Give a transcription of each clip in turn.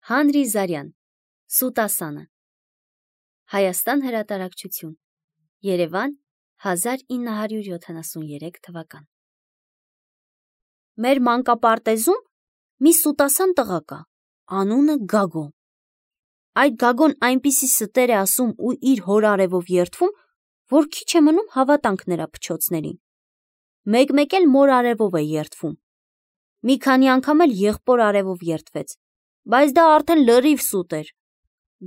Հանրի Զարյան, Սուտասանը, Հայաստան հրատարակչություն, Երևան, 1973 թվական։ Մեր մանկապարտեզում մի սուտասան տղա կա, անունը Գագո։ Այդ Գագոն այնպիսի ստեր է ասում ու իր հոր արևով երդվում, որ քիչ է մնում հավատանք նրա փչոցներին։ Մեկ-մեկ էլ մոր արևով է երդվում։ Մի քանի անգամ էլ եղբոր արևով երդվեց, բայց դա արդեն լրիվ սուտ էր։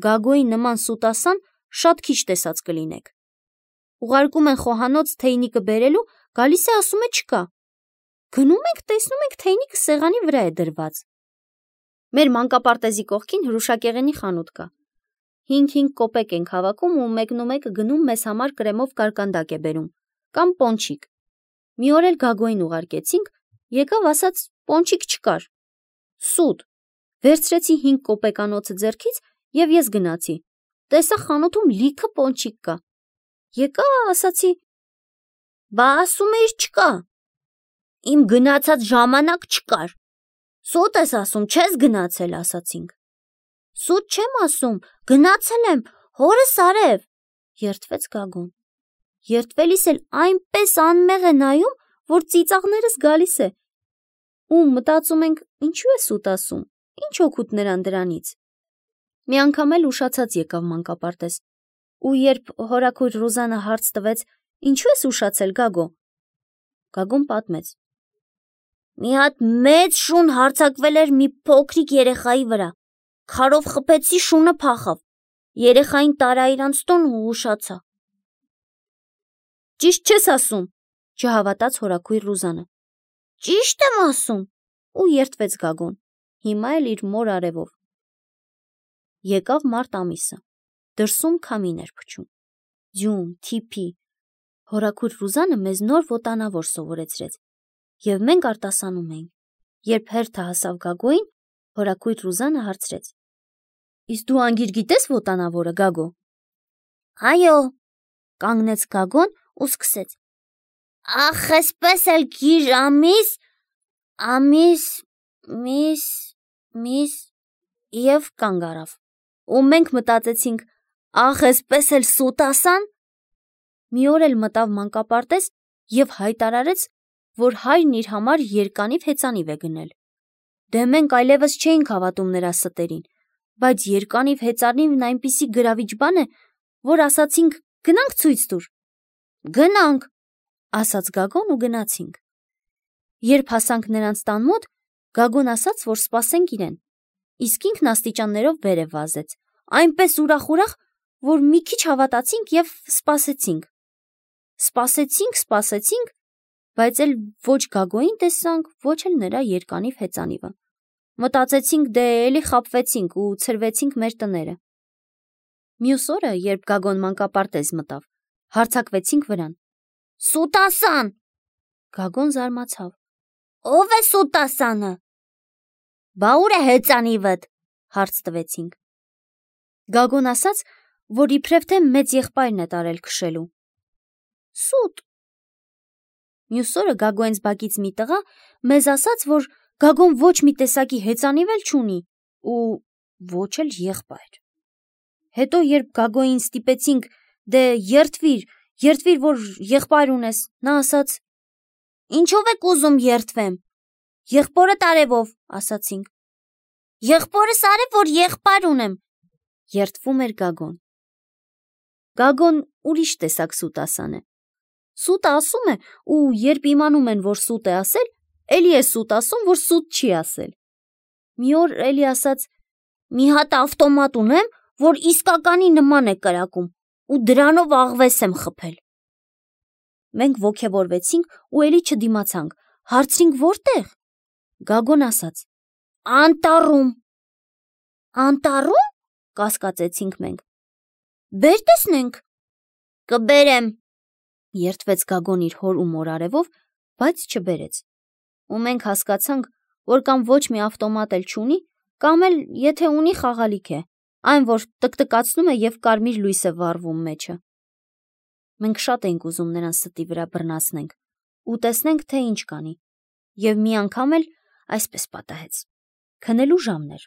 Գագոյի նման սուտասան շատ քիչ տեսած կլինեք։ Ուղարկում են խոհանոց թեյնիկը բերելու, գալիս է ասում է չկա։ Գնում ենք, տեսնում ենք թեյնիկը սեղանի վրա է դրված։ Մեր մանկապարտեզի կողքին հրուշակեղենի խանութ կա։ 5 կոպեկ ենք հավաքում ու մեկնումեկը գնում մեզ համար կրեմով կարկանդակ է բերում, կամ պոնչիկ։ Մի օր էլ Գագոյին ուղարկեցինք, եկավ ասաց պոնչիկ չկար։ Սուտ։ Վերցրեցի 5 կոպեկանոցը ձեռքից և ես գնացի։ Տեսա խանութում լիքը պոնչիկ կա։ Եկա ասացի, բա ասում էիր չկա։ Իմ գնացած ժամանակ չկար։ Սուտ ես ասում, չես գնացել, ասացինք։ Սուտ չեմ ասում, գնացել եմ, հորս արև, երդվեց Գագոն։ Երդվելիս էլ այնպես անմեղ է նայում, որ ծիծաղներս գալիս է։ Ու մտածում ենք, ինչու է սուտ ասում, ինչ օգուտ նրան դրանից։ Մի անգամ էլ ուշացած եկավ մանկապարտեզ։ Ու երբ հորաքույր Ռուզանը հարց տվեց, ինչու ես ուշացել, Գագո։ Գագոն պատմեց. մի հատ մեծ շուն հարձակվել էր մի փոքրիկ երեխայի վրա։ Քարով խփեցի, շունը փախավ։ Երեխային տարա իրանց տուն ու ուշացա։ Ճիշտ չես ասում, չհավատաց հորաքույր Ռուզանը։ Ճիշտ եմ ասում, ու երդվեց Գագոն, հիմա էլ իր մոր արևով։ Եկավ մարտ ամիսը, դրսում քամին էր փչում, ձյուն, թիփի։ Հորաքույր Ռուզանը մեզ նոր ոտանավոր սովորեցրեց, և մենք արտասանում էինք։ Երբ հերթը հասավ Գագոյին, հորաքույր Ռուզանը հարցրեց. Իսկ դու անգիր գիտես ոտանավորը, Գագո։ Այո, կանգնեց Գագոն ու սկսեց. Ախ, էսպես էլ գիր միս և կանգ առավ։ Ու մենք մտածեցինք, ախ, էսպես էլ սուտասան։ Մի օր էլ մտավ մանկապարտեզ և հայտարարեց, որ հայրն իր համար երկանիվ հեծանիվ է գնել։ Դե մենք այլևս չէինք հավատում նրա ստերին, բայց երկանիվ հեծանիվն այնպիսի գրավիչ բան է, որ ասացինք գնանք ցույց տուր։ Գնանք, ասաց Գագոն ու գնացինք։ Երբ հասանք նրանց տան մոտ, Գագոն ասաց, որ սպասենք իրեն, իսկ ինքն աստիճաններով վեր է վազեց, այնպես ուրախ, որ մի քիչ հավատացինք և սպասեցինք։ Սպասեցինք, բայց էլ ոչ Գագոյին տեսանք, ոչ էլ նրա երկանիվ հեծանիվը։ Մտածեցինք, դե էլի խաբվեցինք ու ցրվեցինք մեր տները։ Մյուս օրը, երբ Գագոն մանկապարտեզ մտավ, հարձակվեցինք վրան։ Սուտասան։ Գագոն զարմացավ։ Ո՞վ է սուտասանը։ Բա ուր է հեծանիվդ, հարց տվեցինք։ Գագոն ասաց, որ իբրև թե մեծ եղբայրն է տարել քշելու։ Սուտ։ Մյուս օրը Գագոյենց բակից մի տղա մեզ ասաց, որ Գագոն ոչ մի տեսակի հեծանիվ էլ չունի ու ոչ էլ եղբայր։ Հետո երբ Գագոյին ստիպեցինք, դե երդվիր, որ եղբայր ունես, նա ասաց. Ինչով եք ուզում երդվեմ։ Եղբորդ արևով, ասացինք։ Եղբորս արև, որ եղբայր ունեմ, երդվում էր Գագոն։ Գագոն ուրիշ տեսակ սուտասան է։ Սուտը ասում է ու երբ իմանում են, որ սուտ է ասել, էլի է սուտ ասում, որ սուտ չի ասել։ Մի օր էլի ասաց. մի հատ ավտոմատ ունեմ, որ իսկականի նման է կրակում ու դրանով աղվես եմ խփել։ Մենք ոգևորվեցինք ու էլի չդիմացանք, հարցրինք որտեղ։ Գագոն ասաց. Անտառում։ Անտառում, կասկածեցինք մենք։ Բեր տեսնենք։ Կբերեմ, երդվեց Գագոն իր հոր ու մոր արևով, բայց չբերեց։ Ու մենք հասկացանք, որ կամ ոչ մի ավտոմատ էլ չունի, կամ էլ եթե ունի խաղալիք է, այն որ տկտկացնում է և կարմիր լույս է վառվում մեջը։ Մենք շատ էինք ուզում նրան ստի վրա բռնացնենք ու տեսնենք, թե ինչ կանի, և մի անգամ էլ այսպես պատահեց։ Քնելու ժամն էր,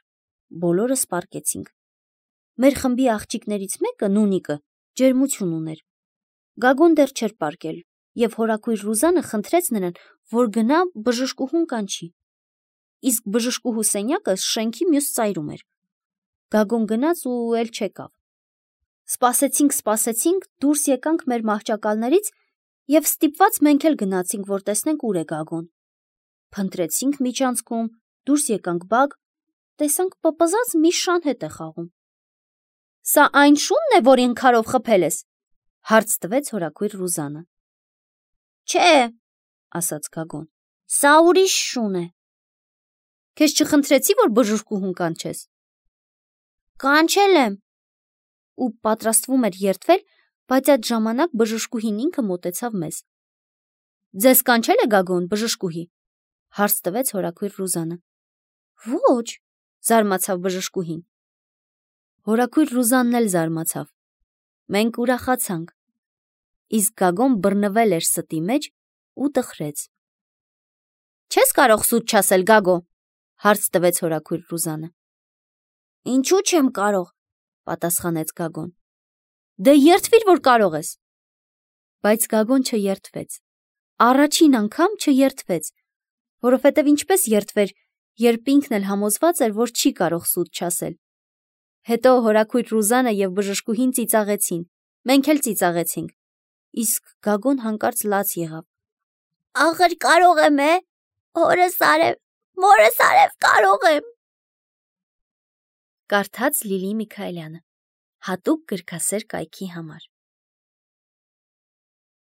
բոլորը սպարկեցինք։ Մեր խմբի աղջիկներից մեկը, Նունիկը, ջերմություն ուներ։ Գագոն դեռ չէր պարկել, և հորաքույր Ռուզանը խնդրեց նրան, որ գնա բժշկուհուն կանչի։ Իսկ բժշկուհու սենյակը շենքի մյուս ծայրում էր։ Գագոն գնաց ու էլ չեկավ։ Սպասեցինք, դուրս եկանք մեր մահճակալներից և ստիպված մենք էլ գնացինք, որ տեսնենք ուր է Գագոն։ Փնտրեցինք միջանցքում, դուրս եկանք բակ, տեսանք պպզած մի շան հետ է խաղում։ Սա այն շունն է, որին քարով խփել ես, հարց տվեց հորաքույր Ռուզանը։ Չէ, ասաց Գագոն, սա ուրիշ շուն է։ Քեզ չխնդրեցի, որ բժշկուհուն կանչես։ Կանչել եմ։ Ու պատրաստվում էր երդվել, բայց այդ ժամանակ բժշկուհին ինքը մոտեցավ մեզ։ Ձեզ կանչել է Գագոն, բժշկուհի, հարց տվեց հորաքույր Ռուզանը։ Ոչ, զարմացավ բժշկուհին։ Հորաքույր Ռուզանն էլ զարմացավ։ Մենք ուրախացանք։ Իսկ Գագոն բռնվել էր ստի մեջ ու տխրեց։ Չես կարող սուտ չասել, Գագո, հարց տվեց հորաքույր Ռուզանը։ Ինչու չեմ կարող, պատասխանեց Գագոն։ Դե երդվիր, որ կարող ես։ Բայց Գագոն չերդվեց։ Առաջին անգամ չերդվեց, որովհետև ինչպես երդվեր, երբ ինքն էլ համոզված էր, որ չի կարող սուտ չասել։ Հետո հորաքույր Ռուզանը և բժշկուհին ծիծաղեցին, մենք էլ ծիծաղեցինք, իսկ Գագոն հանկարծ լաց եղավ։ Ախր կարող եմ, մորս արև կարող եմ։ Կարդաց Լիլի Միքայելյանը, հատուկ գրքասեր կայքի համար։